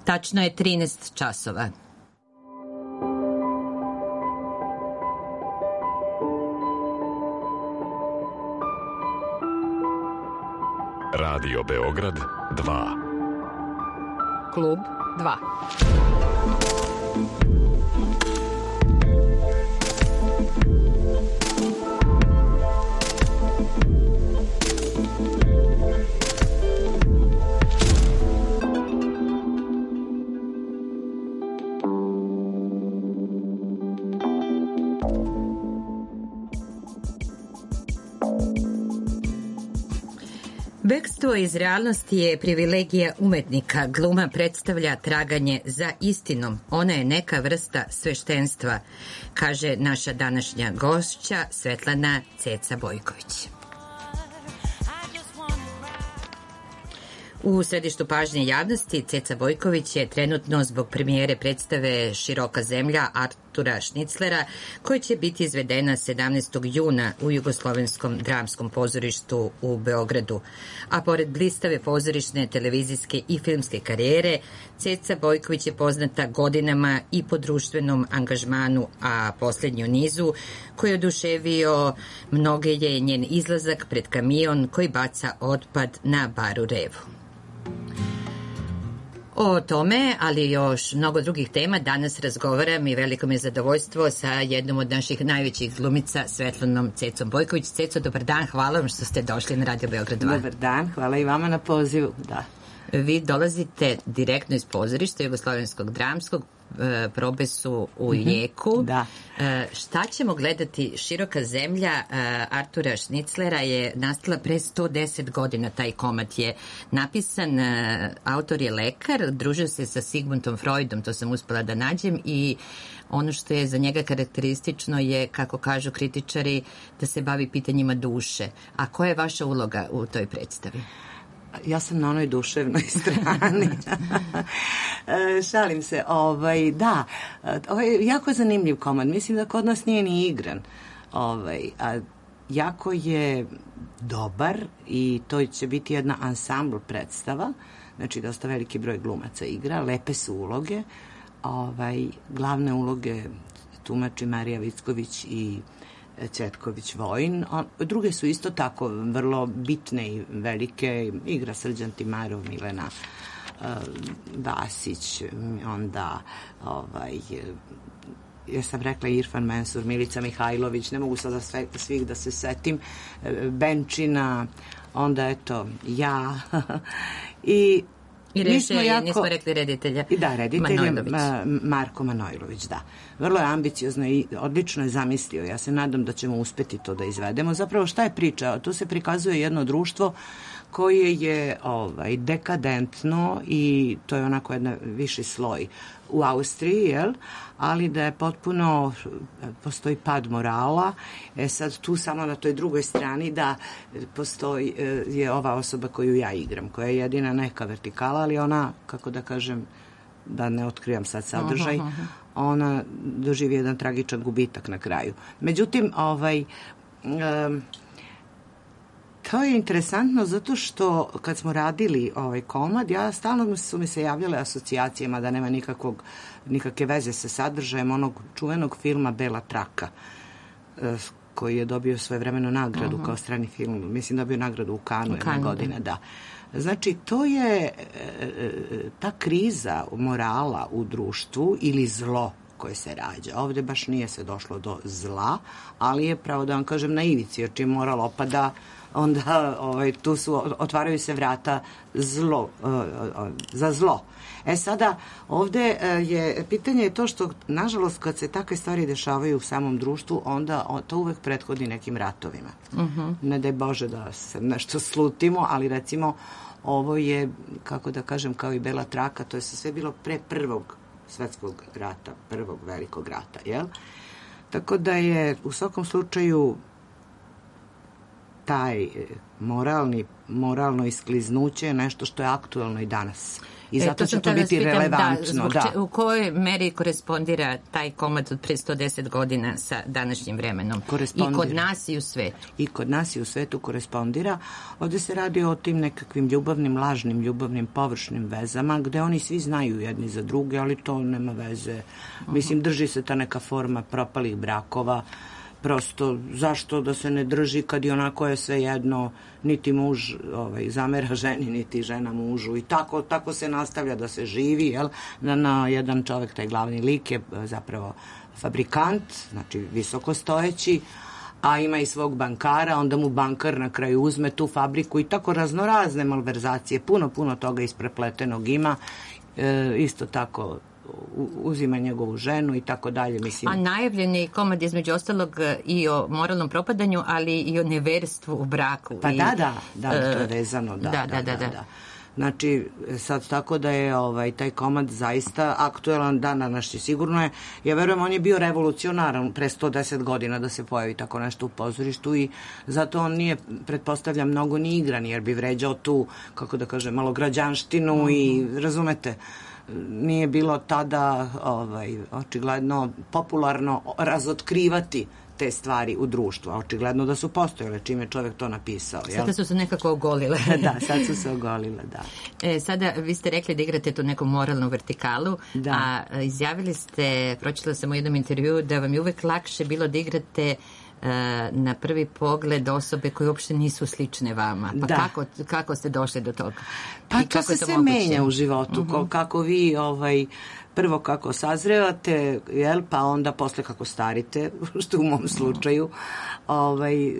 Tačno je 13 časova. Radio Beograd 2. Klub 2. Bekstvo iz realnosti je privilegija umetnika. Gluma predstavlja traganje za istinom. Ona je neka vrsta sveštenstva, kaže naša današnja gošća Svetlana Ceca Bojković. U središtu pažnje javnosti Ceca Bojković je trenutno zbog premijere predstave Široka zemlja Artura Šniclera, koja će biti izvedena 17. juna u Jugoslovenskom dramskom pozorištu u Beogradu. A pored blistave pozorišne, televizijske i filmske karijere, Ceca Bojković je poznata godinama i po društvenom angažmanu, a poslednji u nizu koji je oduševio mnoge je njen izlazak pred kamion koji baca otpad na Baru Revu. O tome, ali još mnogo drugih tema, danas razgovaram i veliko mi je zadovoljstvo sa jednom od naših najvećih glumica, Svetlanom Cecom Bojković. Ceco, dobar dan, hvala vam što ste došli na Radio Beograd 2. Dobar dan, hvala i vama na pozivu, da. Vi dolazite direktno iz pozorišta Jugoslovenskog dramskog, probe su u jeku. Da. Šta ćemo gledati? Široka zemlja Artura Šniclera je nastala pre 110 godina. Taj komad je napisan, autor je lekar, družio se sa Sigmundom Freudom, to sam uspela da nađem, i ono što je za njega karakteristično je, kako kažu kritičari, da se bavi pitanjima duše. A koja je vaša uloga u toj predstavi? Ja sam na onoj duševnoj strani. Šalim se. Da, ovo je jako zanimljiv komad. Mislim da kod nas nije ni igran. A jako je dobar i to će biti jedna ansambl predstava. Znači, dosta veliki broj glumaca igra. Lepe su uloge. Glavne uloge tumači Marija Vicković i Cvetković Vojin. Druge su isto tako vrlo bitne i velike. Igra Srđan Timarov, Milena Vasić, onda ja sam rekla Irfan Mensur, Milica Mihajlović, ne mogu sada svih da se setim, Benčina, onda eto ja i nismo rekli reditelja. Da, reditelj je Marko Manojlović, da. Vrlo je ambiciozno i odlično je zamislio. Ja se nadam da ćemo uspeti to da izvedemo. Zapravo, šta je priča? Tu se prikazuje jedno društvo koje je dekadentno i to je onako jedan viši sloj u Austriji, jel? Ali da je potpuno, postoji pad morala. Sad tu samo na toj drugoj strani da postoji je ova osoba koju ja igram, koja je jedina neka vertikala, ali ona, kako da kažem, da ne otkrivam sad sadržaj, ona doživi jedan tragičan gubitak na kraju. Međutim, to je interesantno zato što kad smo radili ovaj komad, stalno su mi se javljale asocijacijama da nema nikakve veze sa sadržajem onog čuvenog filma Bela traka, koji je dobio svojevremeno nagradu kao strani film. Mislim, dobio nagradu u Kanu jedne godine, da. Znači, to je ta kriza morala u društvu ili zlo koje se rađa. Ovde baš nije se došlo do zla, ali je, pravo da vam kažem, na ivici, jer čim moral opada, onda tu otvaraju se vrata za zlo. Sada, ovde je pitanje to što, nažalost, kad se takve stvari dešavaju u samom društvu, onda to uvek prethodi nekim ratovima. Ne daj Bože da se nešto slutimo, ali recimo ovo je, kako da kažem, kao i Bela traka, to je sve bilo pre prvog svetskog rata, prvog velikog rata, jel? Tako da je u svakom slučaju taj moralno iskliznuće je nešto što je aktuelno i danas. I zato će to biti relevantno. U kojoj meri korespondira taj komad od pre 110 godina sa današnjim vremenom? I kod nas i u svetu. I kod nas i u svetu korespondira. Ovde se radi o tim nekakvim ljubavnim, lažnim ljubavnim, površnim vezama, gde oni svi znaju jedni za druge, ali to nema veze. Mislim, drži se ta neka forma propalih brakova. Prosto, zašto da se ne drži kad i onako je sve jedno, niti muž zamera ženi, niti žena mužu i tako se nastavlja da se živi, jel? Na jedan čovek, taj glavni lik je zapravo fabrikant, znači visokostojeći, a ima i svog bankara, onda mu bankar na kraju uzme tu fabriku i tako raznorazne malverzacije, puno toga isprepletenog ima, isto tako uzima njegovu ženu i tako dalje. Mislim. A najavljen je komad između ostalog i o moralnom propadanju, ali i o neverstvu u braku. Pa da, to je vezano. Da. Znači, sad tako da je taj komad zaista aktuelan dan današnji. Sigurno je, ja verujem, on je bio revolucionaran pre 110 godina da se pojavi tako nešto u pozorištu i zato on nije, pretpostavljam, mnogo ni igran, jer bi vređao tu, kako da kažem, malograđanštinu i, razumete, nije bilo tada očigledno popularno razotkrivati te stvari u društvu, a očigledno da su postojale čim je čovjek to napisao. Sada su se nekako ogolile. Da, sad su se ogolile, da. Sada vi ste rekli da igrate tu neku moralnu vertikalu, a izjavili ste, pročitala sam u jednom intervjuu, da vam je uvek lakše bilo da igrate na prvi pogled osobe koje uopšte nisu slične vama. Pa kako ste došli do toga? Pa to se sve menja u životu. Kako vi prvo kako sazrevate, pa onda posle kako starite, što u mom slučaju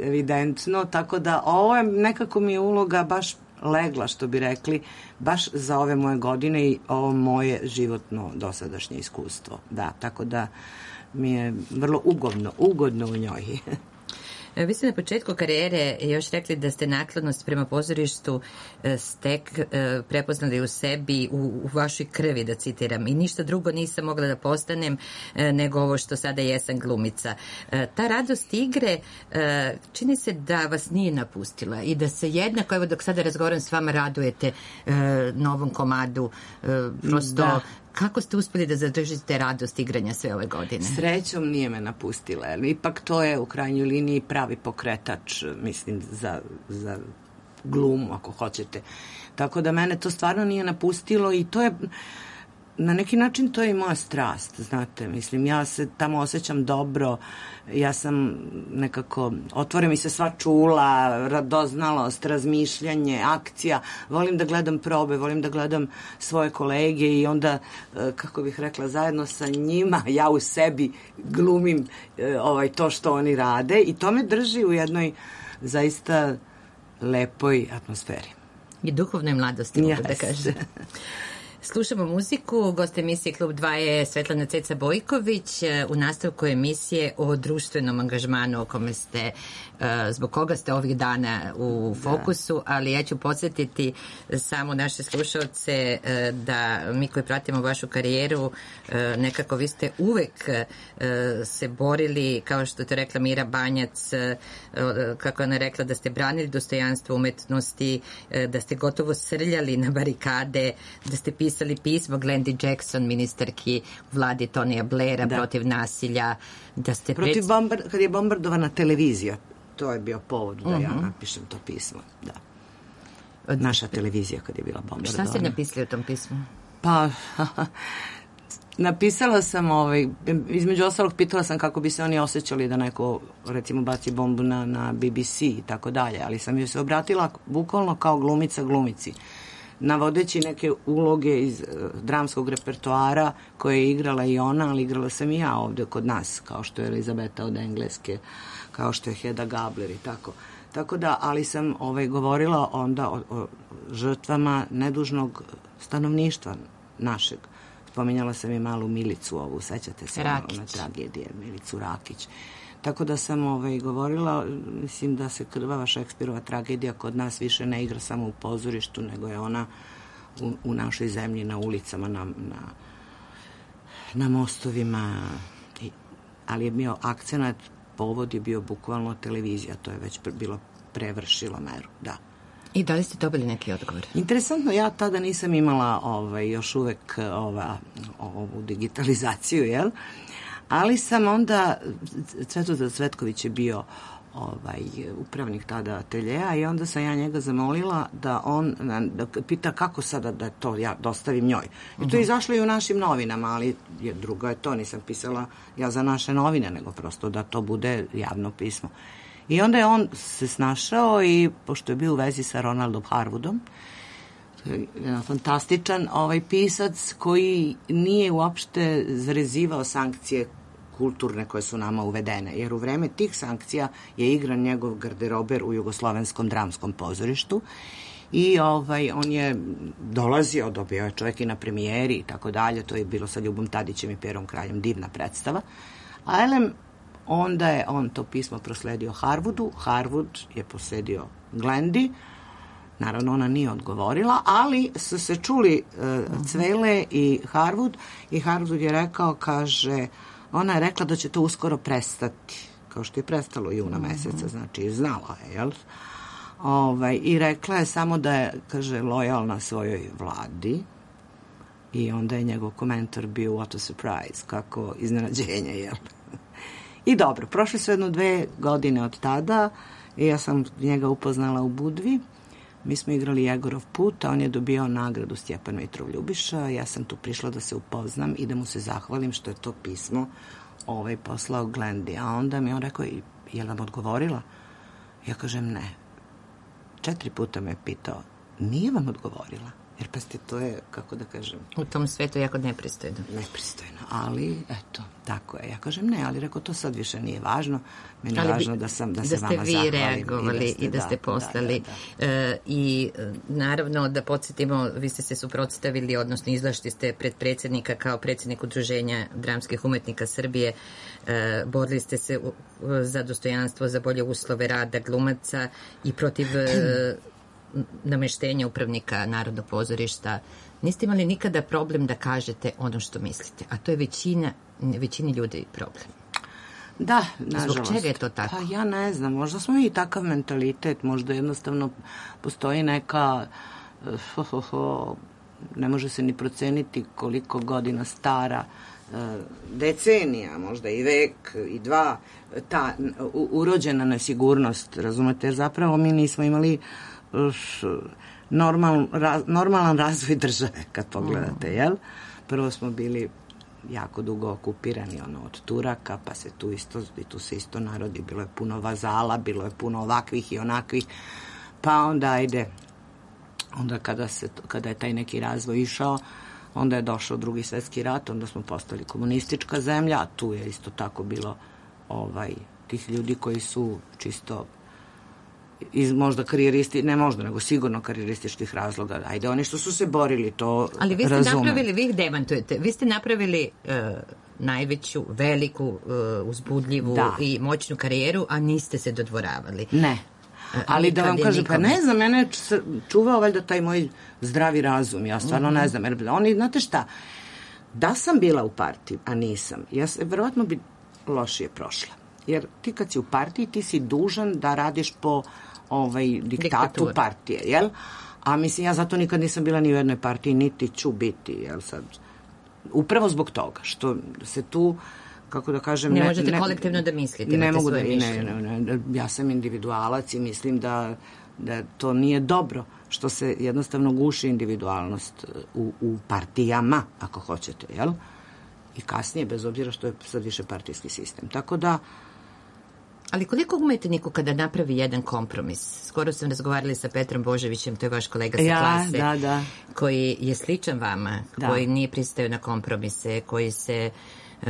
evidentno. Tako da ovo je nekako mi je uloga baš legla, što bi rekli, baš za ove moje godine i ovo moje životno dosadašnje iskustvo. Da, tako da mi je vrlo ugodno u njoj. Vi ste na početku karijere još rekli da ste naklonost prema pozorištu prepoznali u sebi, u vašoj krvi, da citiram, i ništa drugo nisam mogla da postanem nego ovo što sada jesam, glumica. Ta radost igre čini se da vas nije napustila i da se jednako, evo dok sada razgovaram s vama, radujete novom komadu. Prosto, kako ste uspeli da zadržite radost igranja sve ove godine? Srećom nije me napustila. Ipak to je u krajnjoj liniji pravi pokretač, mislim, za glumu, ako hoćete. Tako da mene to stvarno nije napustilo i to je, na neki način to je i moja strast, znate. Mislim, ja se tamo osjećam dobro, ja sam nekako, otvore mi se sva čula, radoznalost, razmišljanje, akcija, volim da gledam probe, volim da gledam svoje kolege i onda, kako bih rekla, zajedno sa njima ja u sebi glumim to što oni rade i to me drži u jednoj zaista lepoj atmosferi. I duhovnoj mladosti, mogu da kažem. Slušamo muziku. Gost emisije Klub 2 je Svetlana Ceca Bojković. U nastavku emisije o društvenom angažmanu o kome ste, zbog koga ste ovih dana u fokusu, ali ja ću podsjetiti samo naše slušalce da mi koji pratimo vašu karijeru, nekako vi ste uvek se borili, kao što je to rekla Mira Banjac, kako ona rekla, da ste branili dostojanstvo umetnosti, da ste gotovo srljali na barikade, da ste pisali pismo Glendi Jackson, ministarki vladi Tonija Blaira, protiv nasilja, da ste kad je bombardovana televizija, to je bio povod da ja napišem to pismo, da. Naša televizija kad je bila bombardovana. Šta ste napisali u tom pismu? Pa, napisala sam, između ostalog pitala sam kako bi se oni osjećali da neko, recimo, baci bombu na BBC i tako dalje, ali sam joj se obratila bukvalno kao glumica glumici, navodeći neke uloge iz dramskog repertoara koje je igrala i ona, ali igrala sam i ja ovde kod nas, kao što je Elizabeta od Engleske, kao što je Hedda Gabler i tako. Tako da, ali sam govorila onda o žrtvama nedužnog stanovništva našeg. Spominjala sam i malu Milicu ovu, sećate se na tragedije, Milicu Rakić. Tako da sam govorila, mislim da se krvava Šekspirova tragedija kod nas više ne igra samo u pozorištu, nego je ona u našoj zemlji, na ulicama, na mostovima, ali je bio akcenat, povod je bio bukvalno televizija, to je već bilo prevršilo meru, da. I da li ste dobili neki odgovor? Interesantno, ja tada nisam imala još uvek ovu digitalizaciju, jel? Ali sam onda, Cvetozar Cvetković je bio upravnik tada ateljeja i onda sam ja njega zamolila da on pita kako sada da to ja dostavim njoj. I to je izašlo i u našim novinama, ali drugo je to, nisam pisala ja za naše novine, nego prosto da to bude javno pismo. I onda je on se snašao i, pošto je bio u vezi sa Ronaldom Harwoodom, jedan fantastičan pisac koji nije uopšte zarezivao sankcije kulturne koje su nama uvedene, jer u vreme tih sankcija je igran njegov garderober u Jugoslovenskom dramskom pozorištu i on je dolazio, dobio je čovjek i na premijeri i tako dalje, to je bilo sa Ljubom Tadićem i Perom Kraljem, divna predstava. A onda je on to pismo prosledio Harwoodu, Harwood je prosledio Glendi, naravno ona nije odgovorila, ali su se čuli Cvele i Harwood je rekao, kaže, ona je rekla da će to uskoro prestati, kao što je prestalo juna meseca, znači znala je, jel? I rekla je samo da je, kaže, lojalna svojoj vladi i onda je njegov komentar bio what a surprise, kako iznenađenje, jel? I dobro, prošle su 2 godine od tada i ja sam njega upoznala u Budvi. Mi smo igrali Jegorov put, a on je dobio nagradu Stjepan Mitrov Ljubiša. Ja sam tu prišla da se upoznam i da mu se zahvalim što je to pismo poslao Glendi. A onda mi on rekao, je li vam odgovorila? Ja kažem, ne. 4 puta me pitao, nije vam odgovorila? Jer pa to je, kako da kažem... U tom svetu jako nepristojno. Nepristojno, ali eto, tako je. Ja kažem ne, ali rekao, to sad više nije važno. Meni je važno da se vama zahvalim. Da ste vi reagovali i da ste poslali. I naravno, da podsjetimo, vi ste se suprotstavili, odnosno izašli ste pred predsjednika kao predsjednik Udruženja dramskih umetnika Srbije. Borili ste se za dostojanstvo, za bolje uslove rada glumaca i protiv... nameštenja upravnika Narodnog pozorišta. Niste imali nikada problem da kažete ono što mislite, a to je većini ljudi problem. Da, nažalost. Zbog čega je to tako? Pa ja ne znam, možda smo i takav mentalitet, možda jednostavno postoji neka ne može se ni proceniti koliko godina stara decenija, možda i vek i 2, ta urođena nesigurnost, razumete, jer zapravo mi nismo imali normalan razvoj države, kad pogledate, jel? Prvo smo bili jako dugo okupirani od Turaka, pa se tu se isto narodi, bilo je puno vazala, bilo je puno ovakvih i onakvih, pa onda onda kada je taj neki razvoj išao, onda je došao Drugi svjetski rat, onda smo postali komunistička zemlja, a tu je isto tako bilo tih ljudi koji su čisto iz možda karijeristi, ne možda, nego sigurno karijerističkih razloga. Ajde, oni što su se borili, to razumem. Ali vi ste napravili, vi ih demantujete, vi ste napravili najveću, veliku, uzbudljivu i moćnu karijeru, a niste se dodvoravali. Ne. Ali da vam kažem, pa ne znam, mene je čuvao valjda taj moj zdravi razum, ja stvarno ne znam, jer oni, znate šta, da sam bila u partiji, a nisam, verovatno bi lošije prošla. Jer ti kad si u partiji, ti si dužan da radiš po diktatu partije, jel? A mislim, ja zato nikad nisam bila ni u jednoj partiji, niti ću biti, jel sad? Upravo zbog toga, što se tu, kako da kažem... Ne možete kolektivno da mislite, ne mogu ne, ja sam individualac i mislim da to nije dobro, što se jednostavno guši individualnost u partijama, ako hoćete, jel? I kasnije, bez obzira što je sad više partijski sistem. Tako da... Ali koliko umetniku kada napravi jedan kompromis? Skoro sam razgovarali sa Petrom Boževićem, to je vaš kolega sa klase, koji je sličan vama, koji nije pristao na kompromise, koji se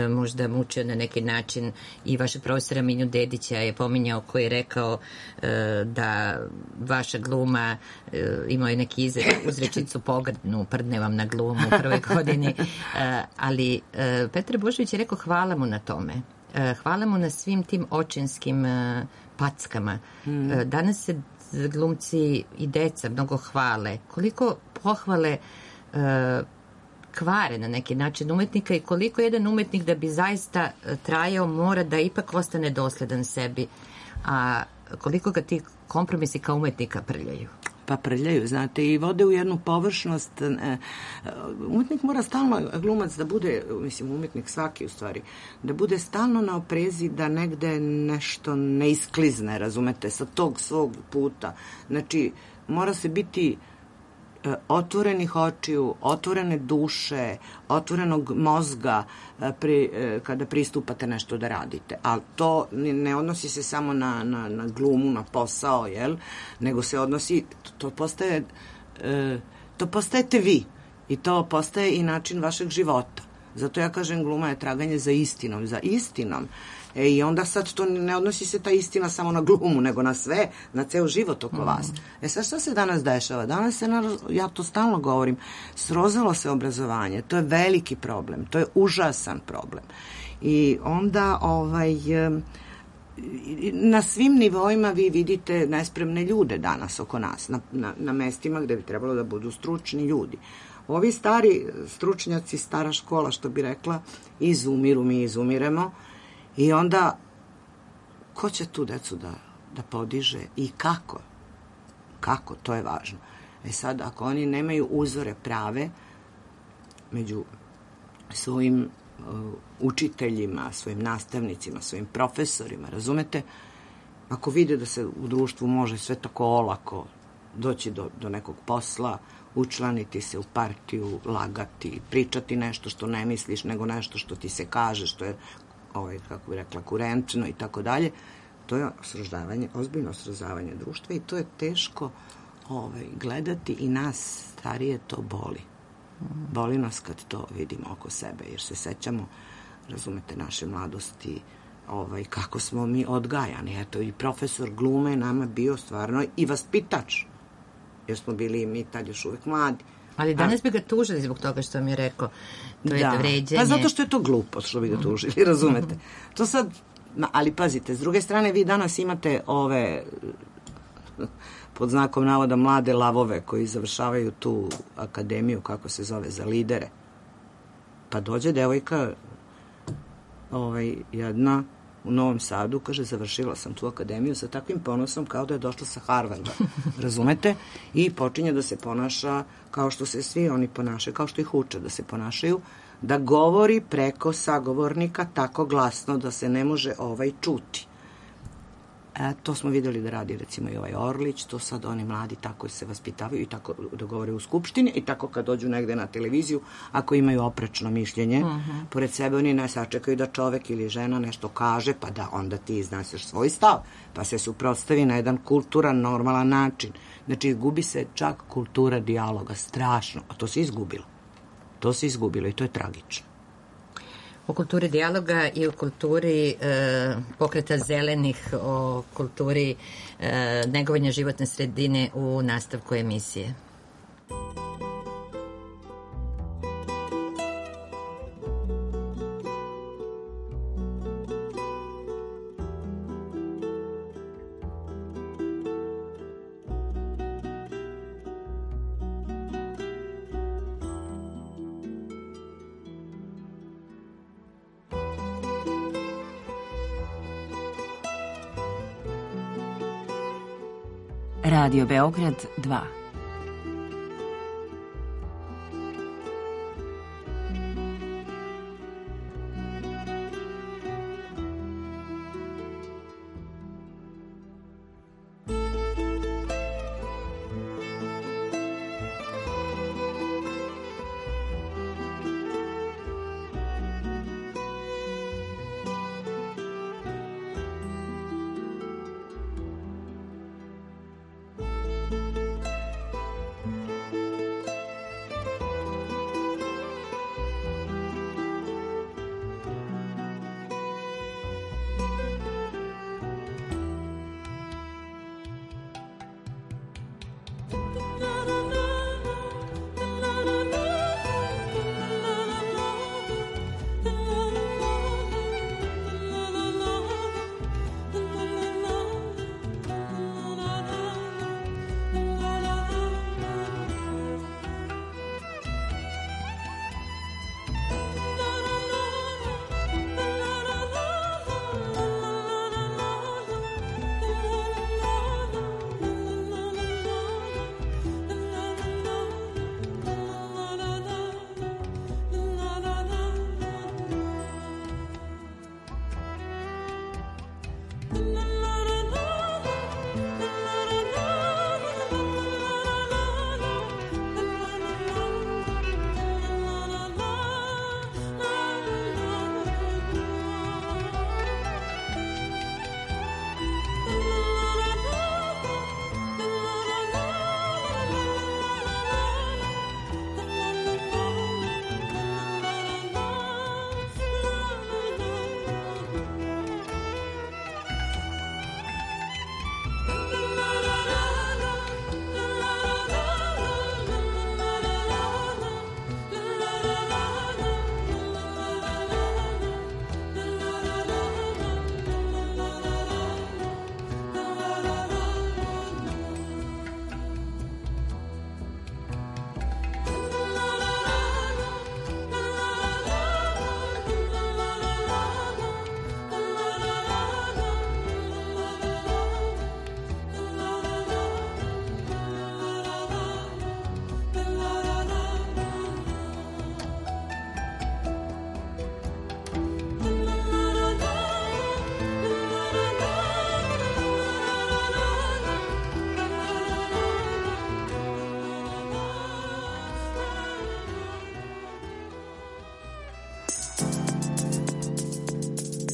možda mučio na neki način, i vašeg profesora Minju Dedića je pominjao, koji je rekao da vaša gluma, imao je neki uzrečicu pogrdnu, prdne vam na glumu u prvoj godini, ali Petar Božević je rekao hvala mu na tome. Hvala mu na svim tim očinskim packama. Danas se glumci i deca mnogo hvale. Koliko pohvale kvare na neki način umetnika i koliko jedan umetnik da bi zaista trajao mora da ipak ostane dosledan sebi. A koliko ga ti kompromisi kao umetnika prljaju? Pa prljaju, znate, i vode u jednu površnost. Umetnik mora stalno, glumac da bude, mislim, umetnik svaki u stvari, da bude stalno na oprezi da negde nešto ne isklizne, razumete, sa tog svog puta. Znači, mora se biti otvorenih očiju, otvorene duše, otvorenog mozga kada pristupate nešto da radite. Ali to ne odnosi se samo na glumu, na posao, jel? Nego se odnosi, to postajete vi i to postaje i način vašeg života. Zato ja kažem, gluma je traganje za istinom. I onda sad to ne odnosi se ta istina samo na glumu, nego na sve, na ceo život oko vas. Sad šta se danas dešava? Danas se, ja to stalno govorim, srozalo se obrazovanje. To je veliki problem. To je užasan problem. I onda na svim nivoima vi vidite nespremne ljude danas oko nas, na mestima gde bi trebalo da budu stručni ljudi. Ovi stari stručnjaci, stara škola, što bi rekla, izumiru, mi izumiremo. I onda, ko će tu decu da podiže i kako? Kako? To je važno. Sad, ako oni nemaju uzore prave među svojim učiteljima, svojim nastavnicima, svojim profesorima, razumete? Ako vide da se u društvu može sve tako olako doći do nekog posla, učlaniti se u partiju, lagati, pričati nešto što ne misliš, nego nešto što ti se kaže, što je kako bi rekla, kurentno i tako dalje, to je sroždavanje, ozbiljno sroždavanje društva i to je teško gledati i nas starije to boli. Boli nas kad to vidimo oko sebe, jer se sećamo, razumete, naše mladosti, kako smo mi odgajani. Eto, i profesor glume nama bio stvarno i vaspitač, jer smo bili mi tad još uvek mladi. Ali danas bi ga tužili zbog toga što mi je rekao. To je vređanje. Pa zato što je to glupo što bi ga tužili, razumete. To sad, ali pazite, s druge strane vi danas imate ove, pod znakom navoda, mlade lavove koji završavaju tu akademiju, kako se zove, za lidere. Pa dođe devojka, jedna u Novom Sadu, kaže, završila sam tu akademiju sa takvim ponosom kao da je došla sa Harvarda, razumete? I počinje da se ponaša kao što se svi oni ponašaju, kao što ih uče da se ponašaju, da govori preko sagovornika tako glasno da se ne može čuti. To smo videli da radi recimo i Orlić, to sad oni mladi tako se vaspitavaju i tako da govore u skupštini i tako kad dođu negde na televiziju, ako imaju oprečno mišljenje, pored sebe oni ne sačekaju da čovek ili žena nešto kaže, pa da onda ti iznasiš svoj stav, pa se suprotstavi na jedan kulturan, normalan način. Znači, gubi se čak kultura dijaloga, strašno, a to se izgubilo. To se izgubilo i to je tragično. O kulturi dijaloga i o kulturi pokreta zelenih, o kulturi negovanja životne sredine u nastavku emisije. Radio Beograd 2.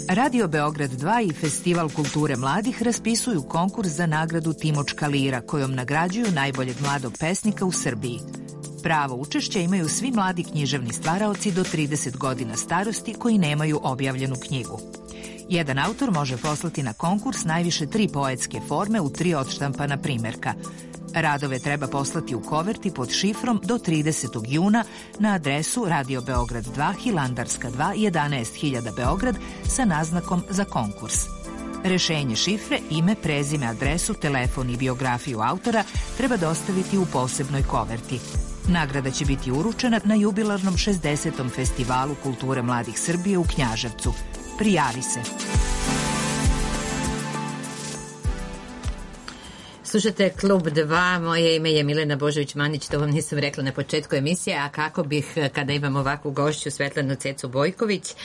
Radio Beograd 2 i Festival kulture mladih raspisuju konkurs za nagradu Timočka lira, kojom nagrađuju najboljeg mladog pesnika u Srbiji. Pravo učešća imaju svi mladi književni stvaraoci do 30 godina starosti koji nemaju objavljenu knjigu. Jedan autor može poslati na konkurs najviše 3 poetske forme u 3 odštampana primerka. Radove treba poslati u koverti pod šifrom do 30. juna na adresu Radio Beograd 2, Hilandarska 2, 11.000 Beograd sa naznakom za konkurs. Rešenje šifre, ime, prezime, adresu, telefon i biografiju autora treba dostaviti u posebnoj koverti. Nagrada će biti uručena na jubilarnom 60. Festivalu kulture mladih Srbije u Knjaževcu. Prijavi se! Slušate Klub 2, moje ime je Milena Božović-Manić, to vam nisam rekla na početku emisije, a kako bih, kada imam ovakvu gošću, Svetlanu Cecu Bojković,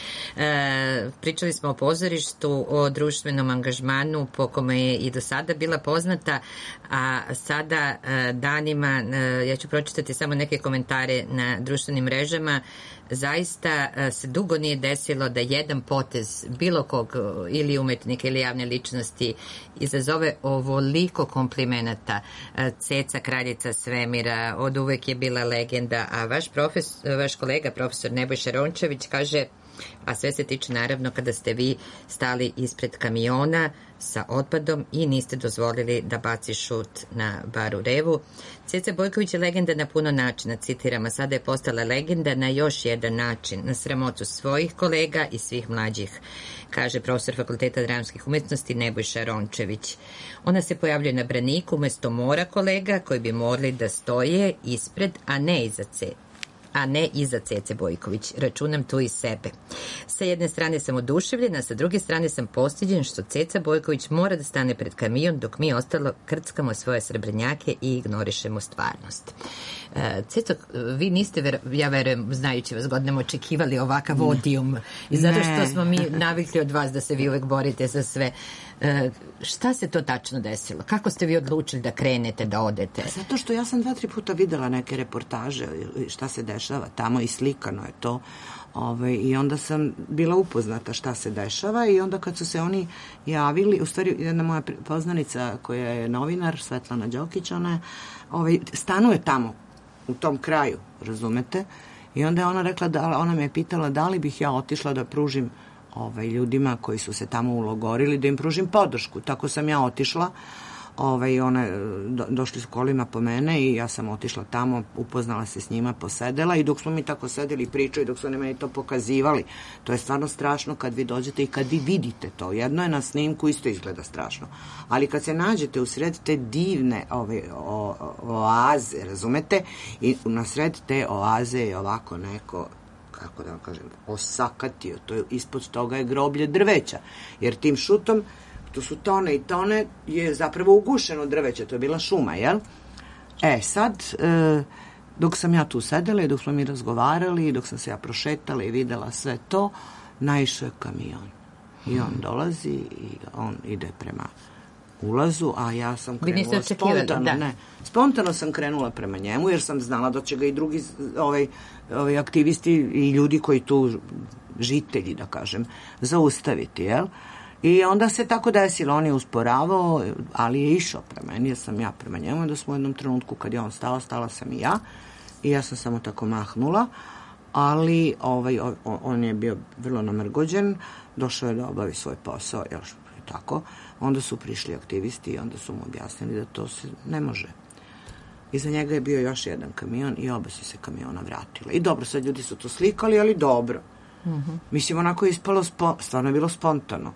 pričali smo o pozorištu, o društvenom angažmanu po kome je i do sada bila poznata, a sada danima, ja ću pročitati samo neke komentare na društvenim mrežama, zaista se dugo nije desilo da jedan potez bilo kog ili umetnika ili javne ličnosti izazove ovoliko komplimenata. Ceca, kraljica svemira, od uvek je bila legenda, a vaš kolega, profesor Nebojša Rončević, kaže, a sve se tiče naravno kada ste vi stali ispred kamiona sa otpadom i niste dozvolili da baci šut na baru Revu. Ceca Bojković je legenda na puno načina, citiram, a sada je postala legenda na još jedan način, na sramotu svojih kolega i svih mlađih, kaže profesor Fakulteta dramskih umetnosti Nebojša Rončević. Ona se pojavljuje na braniku umesto mora kolega koji bi morali da stoje ispred, a ne iza Cece Bojković. Računam tu i sebe. Sa jedne strane sam oduševljena, sa druge strane sam postiđen što Ceca Bojković mora da stane pred kamion dok mi ostalo krckamo svoje srebrnjake i ignorišemo stvarnost. Ceco, vi niste, ja verujem, znajući vas godinama, očekivali ovakav odijum i zato što smo mi navikli od vas da se vi uvek borite za sve. Šta se to tačno desilo? Kako ste vi odlučili da krenete, da odete? Zato što ja sam 2-3 puta videla neke reportaže šta se dešava tamo i slikano je to. I onda sam bila upoznata šta se dešava i onda kad su se oni javili, u stvari jedna moja poznanica koja je novinar, Svetlana Đokić, ona stanuje tamo u tom kraju, razumete? I onda je ona rekla, ona me je pitala da li bih ja otišla da pružim ljudima koji su se tamo ulogorili, da im pružim podršku. Tako sam ja otišla, došli su kolima po mene i ja sam otišla tamo, upoznala se s njima, posedela i dok smo mi tako sedeli i pričali, dok su oni meni to pokazivali, to je stvarno strašno kad vi dođete i kad vi vidite to. Jedno je na snimku, isto izgleda strašno. Ali kad se nađete u sred te divne oaze, razumete, i na sred te oaze je ovako neko, kako da vam kažem, osakatio, to je, ispod toga je groblje drveća, jer tim šutom, to su tone i tone, je zapravo ugušeno drveće, to je bila šuma, jel? Sad, dok sam ja tu sedela i dok smo mi razgovarali, dok sam se ja prošetala i videla sve to, naišao je kamion. I on dolazi i on ide prema ulazu, a ja sam krenula spontano. Spontano sam krenula prema njemu, jer sam znala da će ga i drugi aktivisti i ljudi koji tu, žitelji, da kažem, zaustaviti, jel? I onda se tako desilo, on je usporavao, ali je išao prema meni, jer sam ja prema njemu, da smo u jednom trenutku kad je on stao, stala sam i ja sam samo tako mahnula, ali on je bio vrlo namrgođen, došao je da obavi svoj posao, jel, tako, onda su prišli aktivisti i onda su mu objasnili da to se ne može. Iza njega je bio još jedan kamion i oba su se kamiona vratila. I dobro, sad ljudi su to slikali, ali dobro. Mislim, onako je ispalo, stvarno je bilo spontano.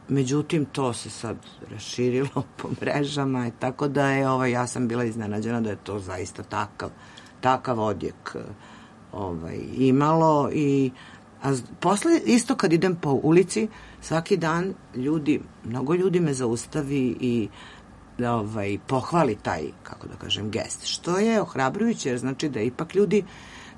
Međutim, to se sad raširilo po mrežama, tako da je, ja sam bila iznenađena da je to zaista takav odjek imalo. A posle, isto kad idem po ulici, svaki dan mnogo ljudi me zaustavi i pohvali taj, kako da kažem, gest, što je ohrabrujuće, jer znači da ipak ljudi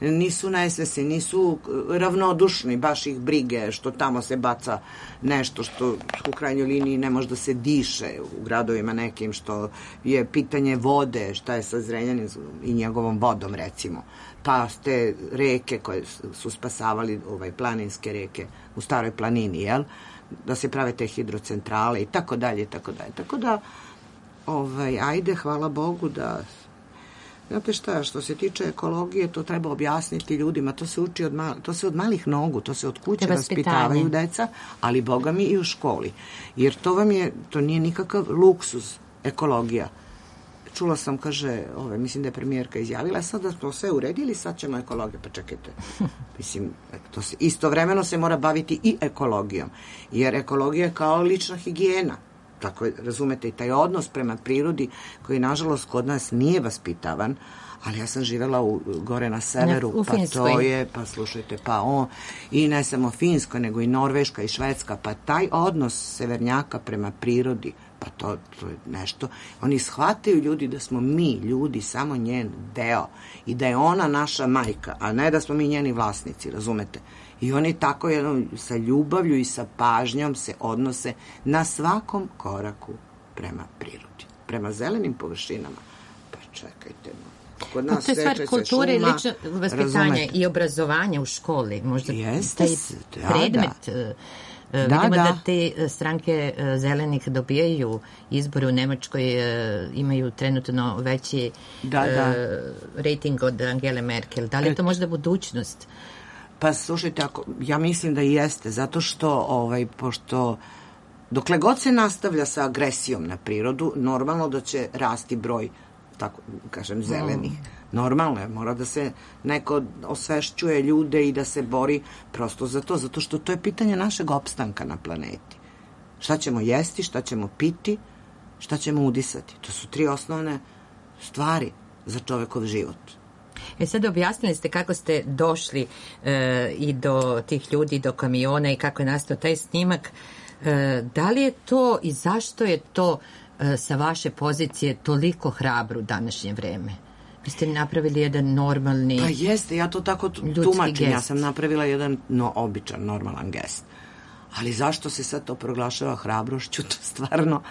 nisu nesvesni, nisu ravnodušni, baš ih brige što tamo se baca nešto što u krajnjoj liniji ne može da se diše u gradovima nekim, što je pitanje vode, šta je sa Zrenjaninom i njegovom vodom, recimo. Pa te reke koje su spasavali, planinske reke u Staroj planini, jel? Da se prave te hidrocentrale i tako dalje, i tako dalje. Tako da, ajde, hvala Bogu da... Znate šta, što se tiče ekologije, to treba objasniti ljudima, to se uči to se od malih nogu, to se od kuće vaspitavaju deca, ali Boga mi i u školi. Jer to nije nikakav luksuz, ekologija. Čula sam, kaže, mislim da je premijerka izjavila, sad da smo sve uredili, sad ćemo ekologiju. Pa čekajte, mislim, istovremeno se mora baviti i ekologijom, jer ekologija je kao lična higijena. Tako, razumete, i taj odnos prema prirodi koji, nažalost, kod nas nije vaspitavan, ali ja sam živela gore na severu, pa slušajte, i ne samo Finskoj, nego i Norveška i Švedska, pa taj odnos severnjaka prema prirodi, pa to je nešto. Oni shvataju ljudi da smo mi, ljudi, samo njen deo i da je ona naša majka, a ne da smo mi njeni vlasnici, razumete? I oni tako sa ljubavlju i sa pažnjom se odnose na svakom koraku prema prirodi, prema zelenim površinama. Pa čekajte, kod nas to je stvar kulture i lično vaspitanja i obrazovanja u školi. Možda taj predmet... Vidimo da te stranke zelenih dobijaju izbore u Nemačkoj, imaju trenutno veći rating od Angele Merkel. Da li je to možda budućnost? Pa slušajte, ja mislim da i jeste, zato što pošto dokle god se nastavlja sa agresijom na prirodu, normalno da će rasti broj, tako kažem, zelenih. Normalno je, mora da se neko osvešćuje ljude i da se bori prosto za to, zato što to je pitanje našeg opstanka na planeti. Šta ćemo jesti, šta ćemo piti, šta ćemo udisati. To su 3 osnovne stvari za čovekov život. Sad objasnili ste kako ste došli i do tih ljudi, do kamiona i kako je nastao taj snimak. Da li je to i zašto je to sa vaše pozicije toliko hrabro u današnje vreme? Vi ste napravili jedan normalni... Pa jeste, ja to tako tumačim. Ja sam napravila jedan običan, normalan gest. Ali zašto se sad to proglašava hrabrošću, to stvarno...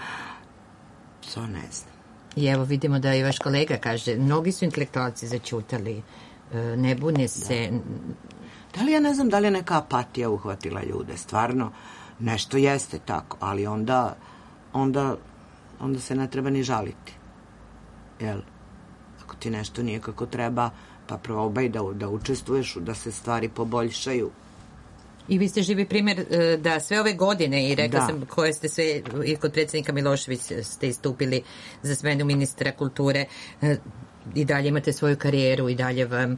To ne znam. I evo vidimo da i vaš kolega kaže, mnogi su intelektualci zaćutali, ne bune se. Da li ja ne znam da li je neka apatija uhvatila ljude, stvarno nešto jeste tako, ali onda se ne treba ni žaliti. Jel? Ako ti nešto nije kako treba, pa probaj da učestvuješ, da se stvari poboljšaju. I vi ste živi primjer da sve ove godine, i rekla sam koje ste sve, i kod predsjednika Miloševića ste istupili za smenu ministra kulture, i dalje imate svoju karijeru i dalje vam,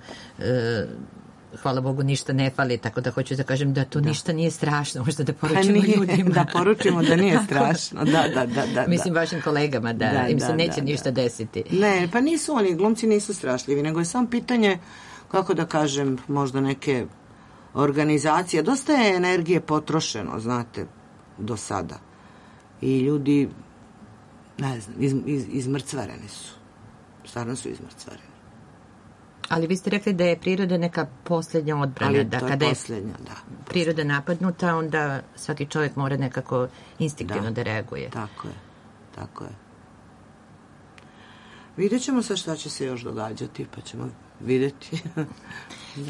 hvala Bogu, ništa ne fali, tako da hoću da kažem da to ništa nije strašno, možda da poručimo ljudima. Da poručimo da nije strašno, da. Mislim vašim kolegama da im se neće ništa desiti. Ne, pa nisu oni, glumci nisu strašljivi, nego je samo pitanje, kako da kažem, možda neke organizacije, dosta je energije potrošeno, znate, do sada. I ljudi, ne znam, izmrcvareni su. Stvarno su izmrcvareni. Ali vi ste rekli da je priroda neka posljednja odbrana. Ali to je posljednja, da. Priroda napadnuta, onda svaki čovjek mora nekako instinktivno da reaguje. Tako je. Vidjet ćemo sad šta će se još događati, pa ćemo vidjeti.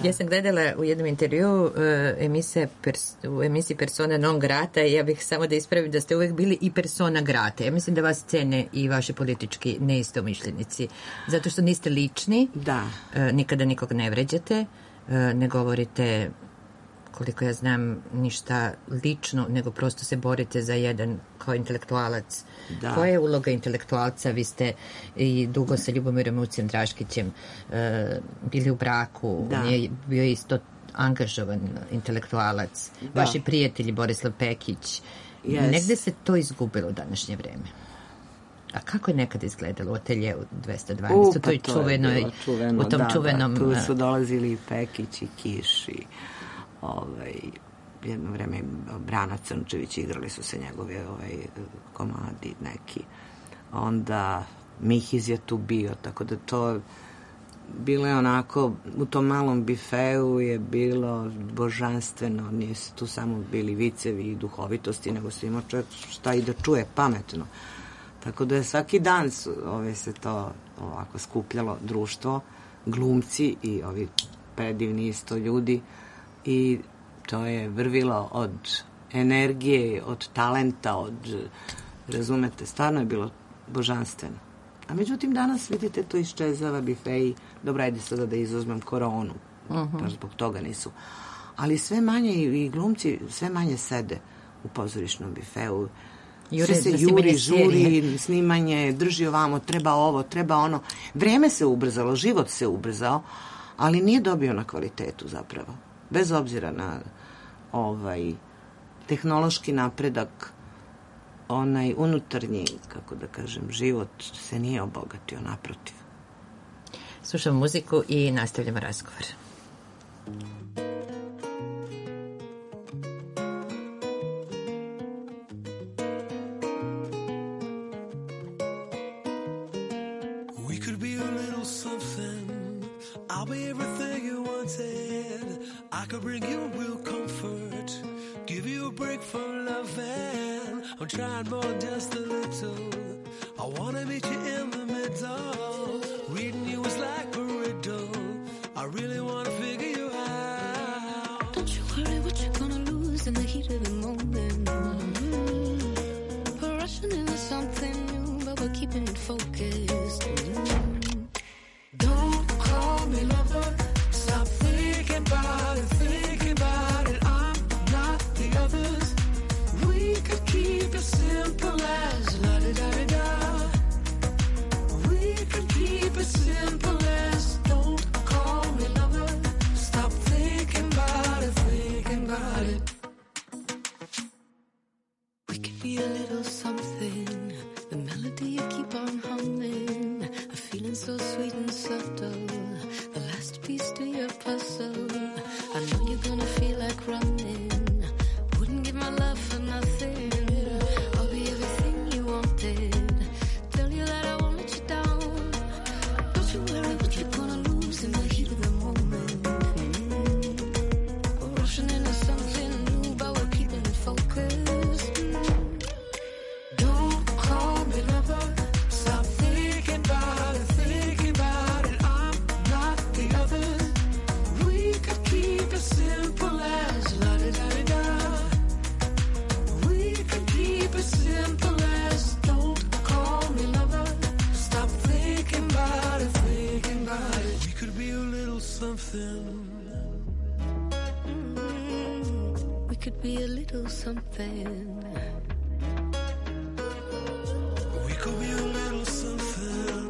Ja sam gledala u jednom intervju u emisiji Persona non grata, i ja bih samo da ispravim da ste uvek bili i persona grata. Ja mislim da vas cene i vaši politički neistomišljenici, zato što niste lični, nikada nikog ne vređate, ne govorite, koliko ja znam, ništa lično, nego prosto se borite za jedan kao intelektualac. Koja je uloga intelektualca? Vi ste i dugo sa Ljubomirom Ucijem Draškićem bili u braku. On je bio isto angažovan intelektualac. Vaši prijatelji, Borislav Pekić. Negde se to izgubilo u današnje vreme. A kako je nekada izgledalo u ateljeu 212? To je čuveno. U tom čuvenom... Tu su dolazili i Pekić i Kiš i jedno vreme Brana Crnčević, igrali su se njegove komadi neki. Onda Mihiz je tu bio, tako da to bilo je onako, u tom malom bifeu je bilo božanstveno, nisu tu samo bili vicevi i duhovitosti, nego se imao čovjek šta i da čuje pametno. Tako da je svaki dan se to ovako skupljalo društvo, glumci i ovi predivni isto ljudi i to je vrvilo od energije, od talenta, razumete, stvarno je bilo božanstveno. A međutim, danas, vidite, to iščezava bifeji. Dobro, ajde sada da izuzmem koronu. Pa zbog toga nisu. Ali sve manje i glumci sve manje sede u pozorišnom bifeu. Sve se juri, žuri, snimanje, drži ovamo, treba ovo, treba ono. Vreme se ubrzalo, život se ubrzao, ali nije dobio na kvalitetu zapravo. Bez obzira na tehnološki napredak, onaj unutarnji, kako da kažem, život se nije obogatio, naprotiv. Slušamo muziku i nastavljamo razgovor. We could be a little something. I'll be everything you wanted. I could bring you real comfort. Give you a break from loving. I'm trying more than just a little. I wanna meet you in the middle. Reading you is like a riddle. I really wanna figure you out. Don't you worry what you're gonna lose in the heat of the moment. We're rushing into something new, but we're keeping it focused. Don't call me lover. Stop thinking about it, thinking about it. I'm not the others. We could keep it simple as la-di-da-di-da. We could keep it simple as don't call me lover. Stop thinking about it, thinking about it. We could be a little something. The melody you keep on humming. A feeling so sweet and subtle. The last piece to your puzzle. I know you're gonna feel like running. Wouldn't give my love for nothing. I'll be everything you wanted. Tell you that I won't let you down. Don't you worry what you're gonna lose in the heat of the moment. We're rushing into something new, but we're keeping it focused. Don't call me lover. Stop thinking about it, thinking about it. I'm not the others. We could keep it simple as la-di-da-di-da. We could keep it simple as don't call me lover. Stop thinking about it, thinking about it. We could be a little something. We could be a little something. We could be a little something.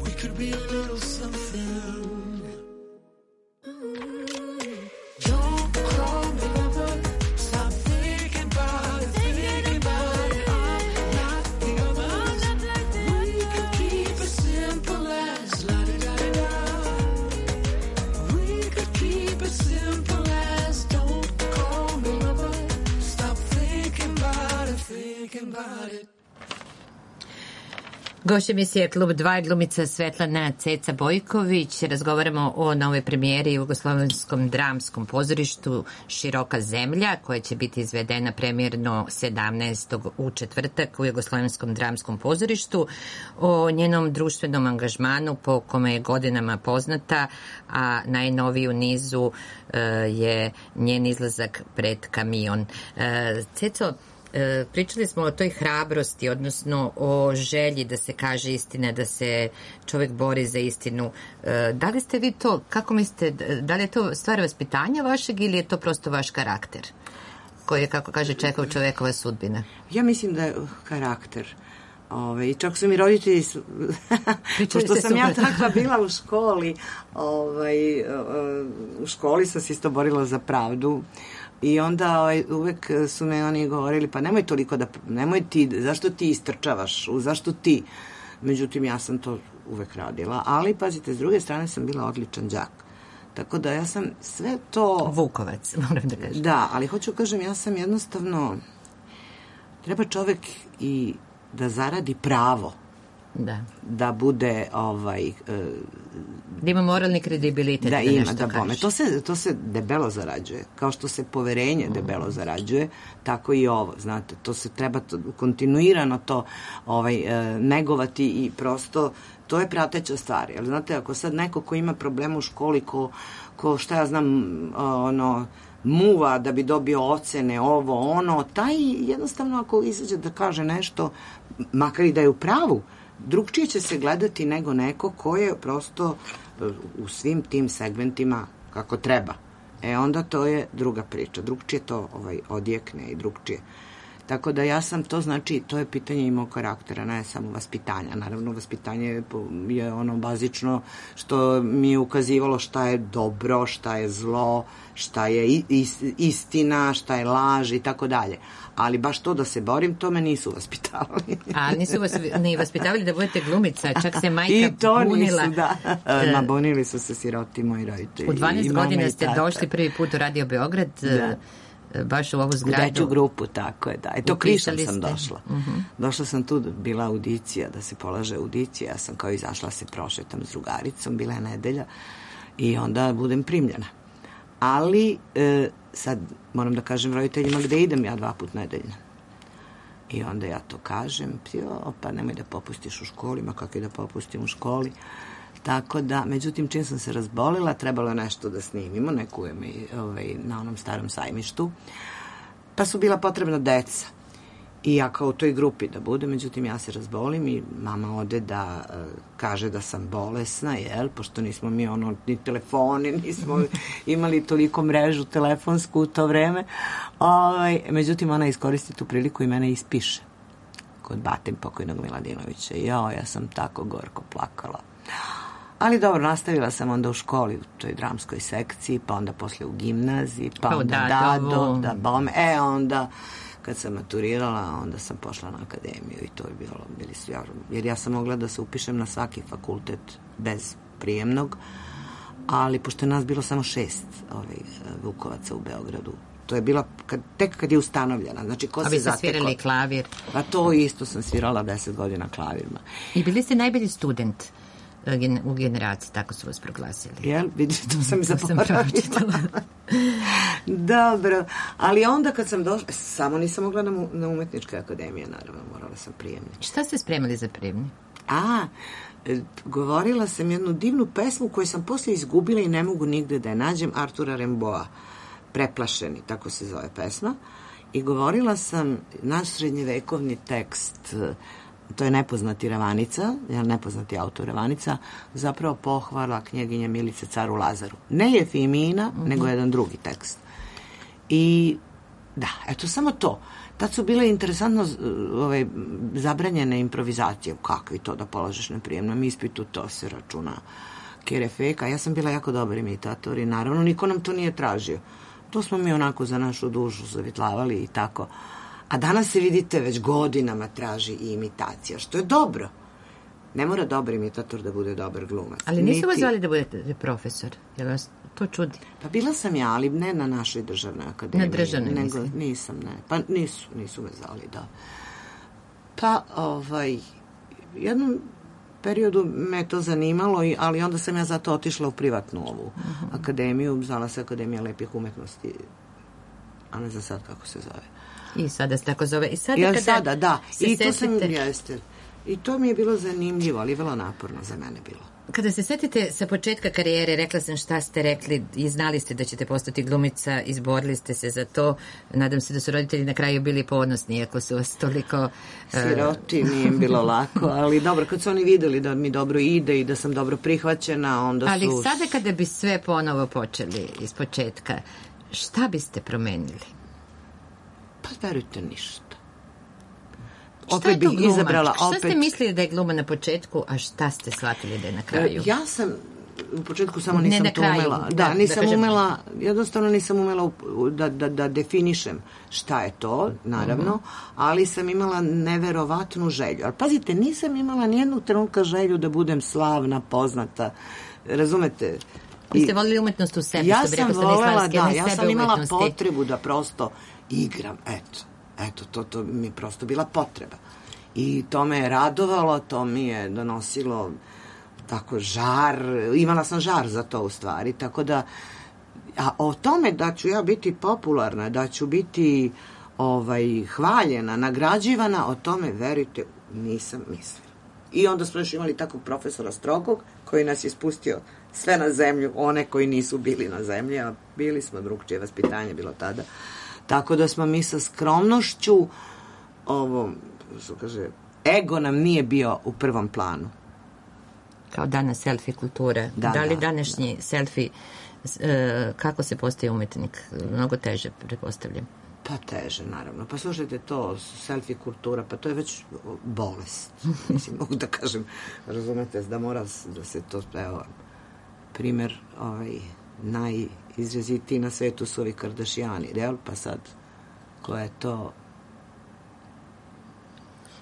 We could be a little something. Don't call me lover. Stop thinking about it, thinking about it. I'm not the others. We could keep it simple as la-di-da-di-da. We could keep it simple as don't call me lover. Stop thinking about it, thinking about it. Gošća emisije Klub 2 je glumica Svetlana Ceca Bojković. Razgovaramo o novoj premijeri u Jugoslovenskom dramskom pozorištu Široka zemlja, koja će biti izvedena premijerno 17. u četvrtak u Jugoslovenskom dramskom pozorištu. O njenom društvenom angažmanu po kome je godinama poznata, a najnoviji u nizu je njen izlazak pred kamion. Ceco, pričali smo o toj hrabrosti, odnosno o želji da se kaže istina, da se čovjek bori za istinu. Da li ste vi to, kako mislite, da li je to stvar vaspitanja vašeg ili je to prosto vaš karakter koji je, kako kaže Čehov, čovjekova sudbina? Ja mislim da je karakter. I čak su mi roditelji, pošto sam ja takva bila u školi, u školi sam se isto borila za pravdu. I onda uvek su me oni govorili, pa nemoj toliko nemoj ti, zašto ti istrčavaš, zašto ti? Međutim, ja sam to uvek radila, ali pazite, s druge strane sam bila odličan đak. Tako da ja sam sve to... Vukovac, moram da kažem. Da, ali hoću kažem, ja sam jednostavno... Treba čovek i da zaradi pravo da bude da ima moralni kredibilitet da ima, nešto da bome. kaže. To se debelo zarađuje. Kao što se poverenje debelo zarađuje, tako i ovo, znate. To se treba kontinuirano to negovati i prosto to je prateća stvar. Jer, znate, ako sad neko ko ima problema u školi, ko šta ja znam, muva da bi dobio ocene, taj jednostavno ako izađe da kaže nešto, makar i da je u pravu, drugčije će se gledati nego neko ko je prosto u svim tim segmentima kako treba. Onda to je druga priča. Drugčije to odjekne i drugčije. Tako da ja sam, to znači, to je pitanje i mog karaktera, ne samo vaspitanja. Naravno, vaspitanje je ono bazično što mi je ukazivalo šta je dobro, šta je zlo, šta je istina, šta je laž i tako dalje. Ali baš to da se borim, to me nisu vaspitavali. A nisu vas ni vaspitavali da budete glumica, čak se majka bunila. I to bunila. nisu, da. Bunili su se siroti moji roditelji. U 12 godina ste došli prvi put u Radio Beograd, baš u ovu zgradu. U Deću grupu, tako je, da. To Krišom sam došla. Uh-huh. Došla sam tu, bila audicija, da se polaže audicija. Ja sam kao izašla, se prošetam s drugaricom, bila je nedelja i onda budem primljena. Ali sad moram da kažem roditeljima gde idem ja 2 puta nedeljno. I onda ja to kažem, pa nemoj da popustiš u školi, ma kako je da popustim u školi. Tako da, međutim, čim sam se razbolila, trebalo je nešto da snimimo, neku na onom starom sajmištu, pa su bila potrebna deca. I ja kao u toj grupi da budem, međutim, ja se razbolim i mama ode da kaže da sam bolesna, pošto nismo mi ni telefoni, nismo imali toliko mrežu telefonsku u to vreme. Međutim, ona iskoristi tu priliku i mene ispiše kod batem pokojnog Miladinovića. Ja sam tako gorko plakala. Ali dobro, nastavila sam onda u školi, u toj dramskoj sekciji, pa onda posle u gimnaziji, pa onda onda kad sam maturirala, onda sam pošla na akademiju i to je bili su jer ja sam mogla da se upišem na svaki fakultet bez prijemnog, ali pošto je nas bilo samo 6 Vukovaca u Beogradu, to je bila tek kad je ustanovljena. Znači, ko se zatekao. A vi ste svirali klavir? Pa to isto sam svirala 10 godina klavirima. I bili ste najbolji student u generaciji, tako su vas proglasili. Vidite, to sam zaboravila. Dobro, ali onda kad sam došla, samo nisam mogla na umetničke akademije, naravno, morala sam prijemni. Šta ste spremali za prijemni? Govorila sam jednu divnu pesmu koju sam poslije izgubila i ne mogu nigde da je nađem, Artura Rimbaud'a, Preplašeni, tako se zove pesma, i govorila sam naš srednjevekovni tekst, to je Nepoznati Ravanica, nepoznati autor Ravanica, zapravo pohvala knjeginje Milice caru Lazaru. Ne Jefimina, nego jedan drugi tekst. I da, eto samo to. Tad su bile interesantno zabranjene improvizacije. Kakvi to da polažeš na prijemnom ispitu, to se računa kerefeka. Ja sam bila jako dobar imitator i naravno niko nam to nije tražio. To smo mi onako za našu dušu zavitlavali i tako. A danas se, vidite, već godinama traži i imitacija, što je dobro. Ne mora dobar imitator da bude dobar glumac. Ali nisu vas zvali da budete profesor? Jel vas to čudi? Pa bila sam ja, ali ne na našoj državnoj akademiji. Na državnoj, nego, nisam, ne. Pa nisu me zvali, da. Pa, jednom periodu me to zanimalo, ali onda sam ja zato otišla u privatnu ovu akademiju, zvala se Akademija lepih umetnosti, a ne za sad kako se zove. I sada se tako zove. I sada da. I to sam, jeste. I to mi je bilo zanimljivo, ali vrlo naporno za mene bilo. Kada se setite sa početka karijere, rekla sam šta ste rekli i znali ste da ćete postati glumica, izborili ste se za to. Nadam se da su roditelji na kraju bili ponosni, iako su vas toliko... Siroti, nije im bilo lako, ali dobro, kad su oni videli da mi dobro ide i da sam dobro prihvaćena, onda su... Ali sada kada bi sve ponovo počeli iz početka, šta biste promenili? Pa verujte, ništa. Šta je to glumačka? Šta ste mislili da je gluma na početku, a šta ste shvatili da je na kraju? Ja sam u početku samo nisam to umela. Da, nisam umela, jednostavno nisam umela da definišem šta je to, naravno, ali sam imala neverovatnu želju. Ali pazite, nisam imala nijednog trenutka želju da budem slavna, poznata, razumete? Vi ste volili umetnost u sebi, ja sam volela, da, ja sam imala potrebu da prosto igram, eto, to mi je prosto bila potreba. I to me je radovalo, to mi je donosilo tako žar, imala sam žar za to u stvari, tako da, a o tome da ću ja biti popularna, da ću biti hvaljena, nagrađivana, o tome, verujte, nisam mislila. I onda smo još imali takvog profesora strogog, koji nas je spustio sve na zemlju, one koji nisu bili na zemlji, a bili smo, drugčije vaspitanje bilo tada. Tako da smo mi sa skromnošću, što kaže, ego nam nije bio u prvom planu. Kao danas selfie kultura. Da li današnji selfie, kako se postaje umetnik? Mnogo teže, pretpostavljam. Pa teže, naravno. Pa slušajte, to selfie kultura, pa to je već bolest. Mislim, mogu da kažem, razumete, da mora da se to, evo, primer, najizrazitiji na svetu su ovi Kardashiani, jel? Pa sad, ko je to...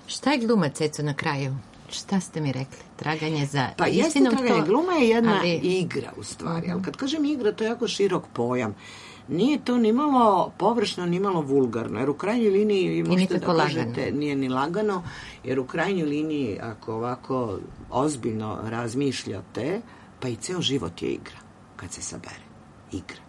Šta je gluma, Ceco, na kraju? Šta ste mi rekli? Traganje za pa istinom? Pa jeste traganje. Gluma je jedna igra, u stvari. Ali kad kažem igra, to je jako širok pojam. Nije to ni malo površno, ni malo vulgarno. Jer u krajnjoj liniji, možete da kažete, nije ni lagano, jer u krajnjoj liniji, ako ovako ozbiljno razmišljate, pa i ceo život je igra, kad se sabere. Igra.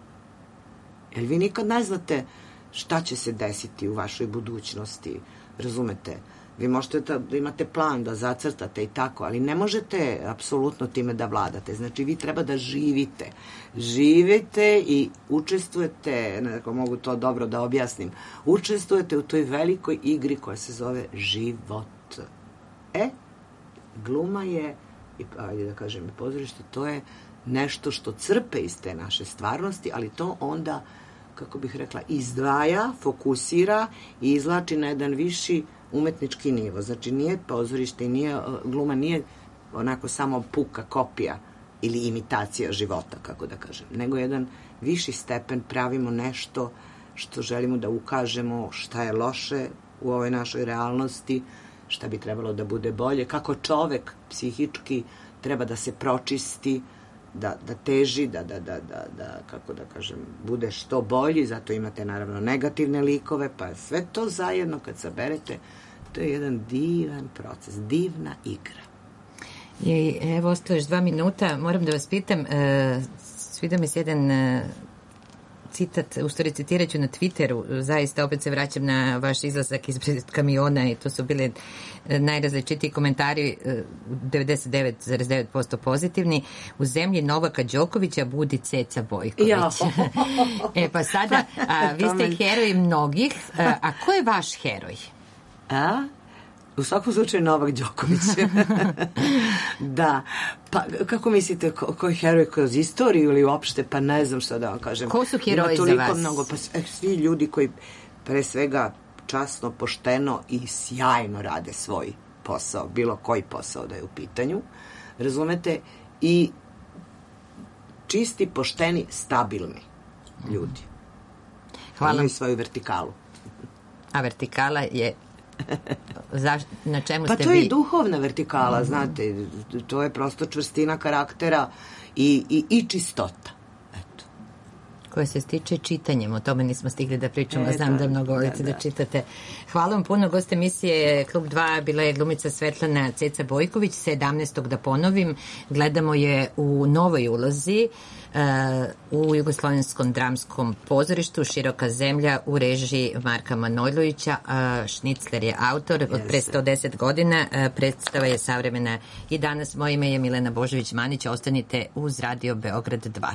Jer vi nikad ne znate šta će se desiti u vašoj budućnosti, razumete? Vi možete da imate plan, da zacrtate i tako, ali ne možete apsolutno time da vladate. Znači, vi treba da živite. Živite i učestvujete, nekako mogu to dobro da objasnim, učestvujete u toj velikoj igri koja se zove život. Gluma je, ajde da kažem i pozorište, to je nešto što crpe iz te naše stvarnosti, ali to onda, kako bih rekla, izdvaja, fokusira i izvlači na jedan viši umetnički nivo. Znači, nije pozorište i nije, gluma nije onako samo puka kopija ili imitacija života, kako da kažem, nego jedan viši stepen, pravimo nešto što želimo da ukažemo, šta je loše u ovoj našoj realnosti, šta bi trebalo da bude bolje, kako čovek psihički treba da se pročisti, da teži, da kako da kažem, bude što bolji, zato imate naravno negativne likove, pa sve to zajedno kad saberete, to je jedan divan proces, divna igra. I evo, ostalo još 2 minuta, moram da vas pitam, svidio mi se jedan citat, u stvari citirat ću na Twitteru, zaista opet se vraćam na vaš izlazak ispred kamiona i to su bile najrazličitiji komentari, 99,9% pozitivni. U zemlji Novaka Đokovića budi Ceca Bojković. Pa sada, vi ste heroj mnogih, a ko je vaš heroj? U svakom slučaju Novak Đoković. Da. Pa, kako mislite, ko je heroj kroz istoriju ili uopšte, pa ne znam šta da vam kažem. Ko su heroji za vas? Mnogo, pa svi ljudi koji pre svega časno, pošteno i sjajno rade svoj posao, bilo koji posao da je u pitanju, razumete, i čisti, pošteni, stabilni ljudi. Hvala. Imaju svoju vertikalu. A vertikala je na čemu ste vi? Pa to je i duhovna vertikala, znate, to je prosto čvrstina karaktera i čistota. Eto. Koja se stiče čitanjem, o tome nismo stigli da pričamo, znam da mnogo volite da čitate. Hvala vam puno, gost emisije Klub 2 bila je glumica Svetlana Ceca Bojković, 17. da ponovim, gledamo je u novoj ulozi u Jugoslovenskom dramskom pozorištu Široka zemlja u režiji Marka Manojlovića. Šnicler je autor od pre 110 godina. Predstava je savremena i danas. Moje ime je Milena Božović-Manić. Ostanite uz Radio Beograd 2.